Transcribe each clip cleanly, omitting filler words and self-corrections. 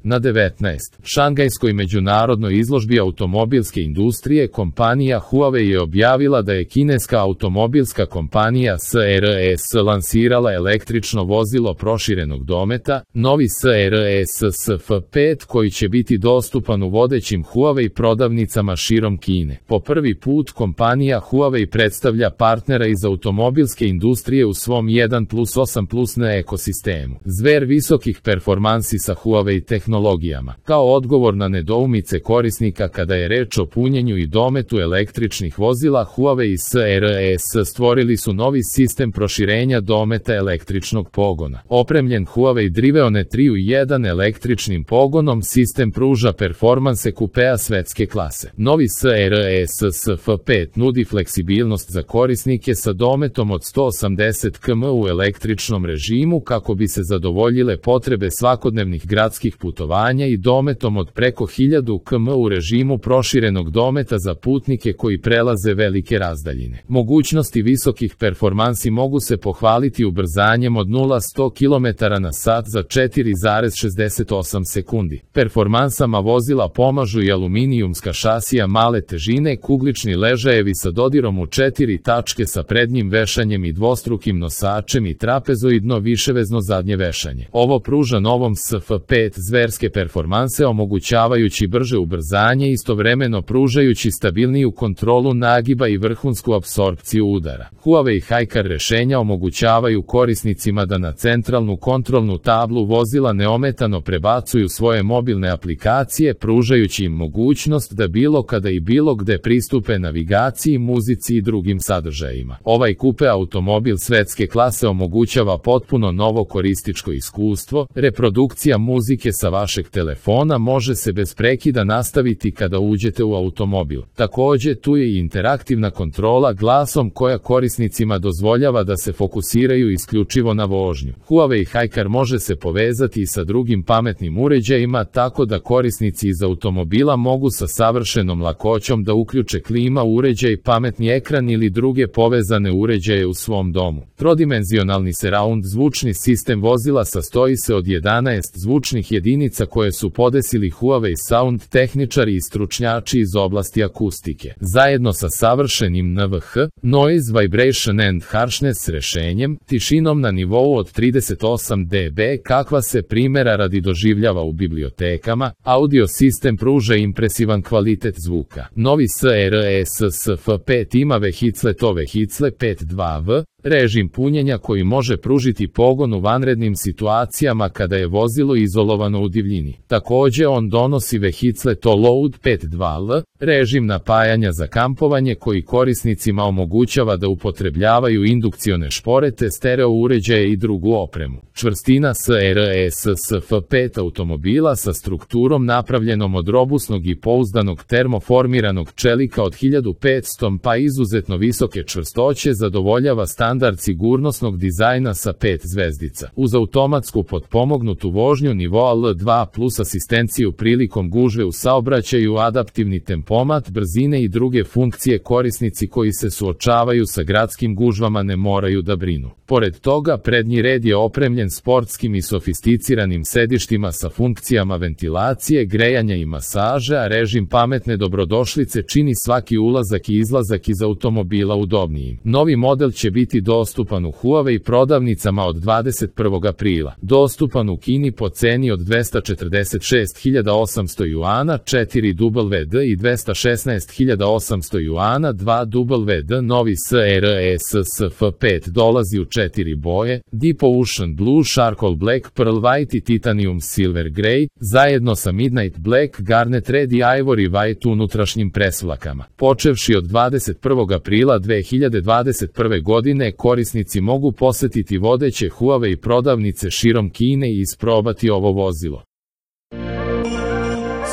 Na 19. Šangajskoj međunarodnoj izložbi automobilske industrije kompanija Huawei je objavila da je kineska automobilska kompanija SRS lansirala električno vozilo proširenog dometa, novi SRS SF5 koji će biti dostupan u vodećim Huawei prodavnicama širom Kine. Po prvi put kompanija Huawei predstavlja partnera iz automobilske industrije u svom 1+8+N ekosistemu. Zver visokih performansi sa Huawei tehnologijama. Kao odgovor na nedoumice korisnika kada je reč o punjenju i dometu električnih vozila, Huawei i SRS stvorili su novi sistem proširenja dometa električnog pogona. Opremljen Huawei Driveone 3 u 1 električnim pogonom, sistem pruža performanse kupea svetske klase. Novi SRS SF5 nudi fleksibilnost za korisnike sa dometom od 180 km u električnom režimu kako bi se zadovoljile potrebe svakodnevnih gradskih putovanja i dometom od preko 1000 km u režimu proširenog dometa za putnike koji prelaze velike razdaljine. Mogućnosti visokih performansi mogu se pohvaliti ubrzanjem od 0-100 km/h za 4,68 sekundi. Performansama vozila pomažu i aluminijumska šasija male težine, kuglični ležajevi sa dodirom u 4 tačke sa prednjim vešanjem i dvostrukim nosačem i trapezoidno viševezno zadnje vešanje. Ovo pruža novom SF5 zverske performanse, omogućavajući brže ubrzanje i istovremeno pružajući stabilniju kontrolu nagiba i vrhunsku apsorpciju udara. Huawei Hicar rešenja omogućavaju korisnicima da na centralnu kontrolnu tablu vozila neometano prebacuju svoje mobilne aplikacije, pružajući im mogućnost da bilo kada i bilo gde pristupe navigaciji, muzici i drugim sadržajima. Ovaj kupe automobil svetske klase omogućava potpuno novo korističko iskustvo. Reprodukcija muzike sa vašeg telefona može se bez prekida nastaviti kada uđete u automobil. Takođe, tu je i interaktivna kontrola glasom koja korisnicima dozvoljava da se fokusiraju isključivo na vožnju. Huawei Hicar može se povezati i sa drugim pametnim uređajima tako da korisnici iz automobila mogu sa savršenom lakoćom da uključe klima uređaj, pametni ekran ili druge povezane uređaje u svom domu. Trodimenzionalni surround zvučni sistem vozila sastoji se od 11 zvučnih jedinica koje su podesili Huawei Sound tehničari i stručnjači iz oblasti akustike. Zajedno sa savršenim NVH, Noise Vibration and Harshness rešenjem, tišinom na nivou od 38 dB kakva se primjera radi doživljava u bibliotekama, audio sistem pruža impresivan kvalitet zvuka. Novi SRS SF5 ima vehicle 5.2V, režim punjenja koji može pružiti pogon u vanrednim situacijama kada je vozilo izolovano u divljini. Takođe on donosi vehicle Load 5.2L, režim napajanja za kampovanje koji korisnicima omogućava da upotrebljavaju indukcione šporete, stereo uređaje i drugu opremu. Čvrstina SRS SF5 automobila sa strukturom napravljenom od robusnog i pouzdanog termoformiranog čelika od 1500 pa izuzetno visoke čvrstoće zadovoljava standard sigurnosnog dizajna sa 5 zvezdica. Uz automatsku potpomognutu vožnju nivoa L2 plus asistenciju prilikom gužve u saobraćaju, adaptivni tempomat brzine i druge funkcije korisnici koji se suočavaju sa gradskim gužvama ne moraju da brinu. Pored toga, prednji red je opremljen sportskim i sofisticiranim sedištima sa funkcijama ventilacije, grejanja i masaže, a režim pametne dobrodošlice čini svaki ulazak i izlazak iz automobila udobnijim. Novi model će biti dostupan u Huawei prodavnicama od 21. aprila. Dostupan u Kini po ceni od 246.800 juana 4WD i 216.800 juana 2WD. Novi SRS SF5 dolazi u 4 boje: Deep Ocean Blue, Charcoal Black, Pearl White i Titanium Silver Grey, zajedno sa Midnight Black, Garnet Red i Ivory White unutrašnjim presvlakama. Počevši od 21. aprila 2021. godine, korisnici mogu posetiti vodeće Huawei prodavnice širom Kine i isprobati ovo vozilo.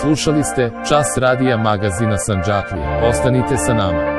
Slušali ste Čas radija magazina Sandžaklija. Ostanite sa nama.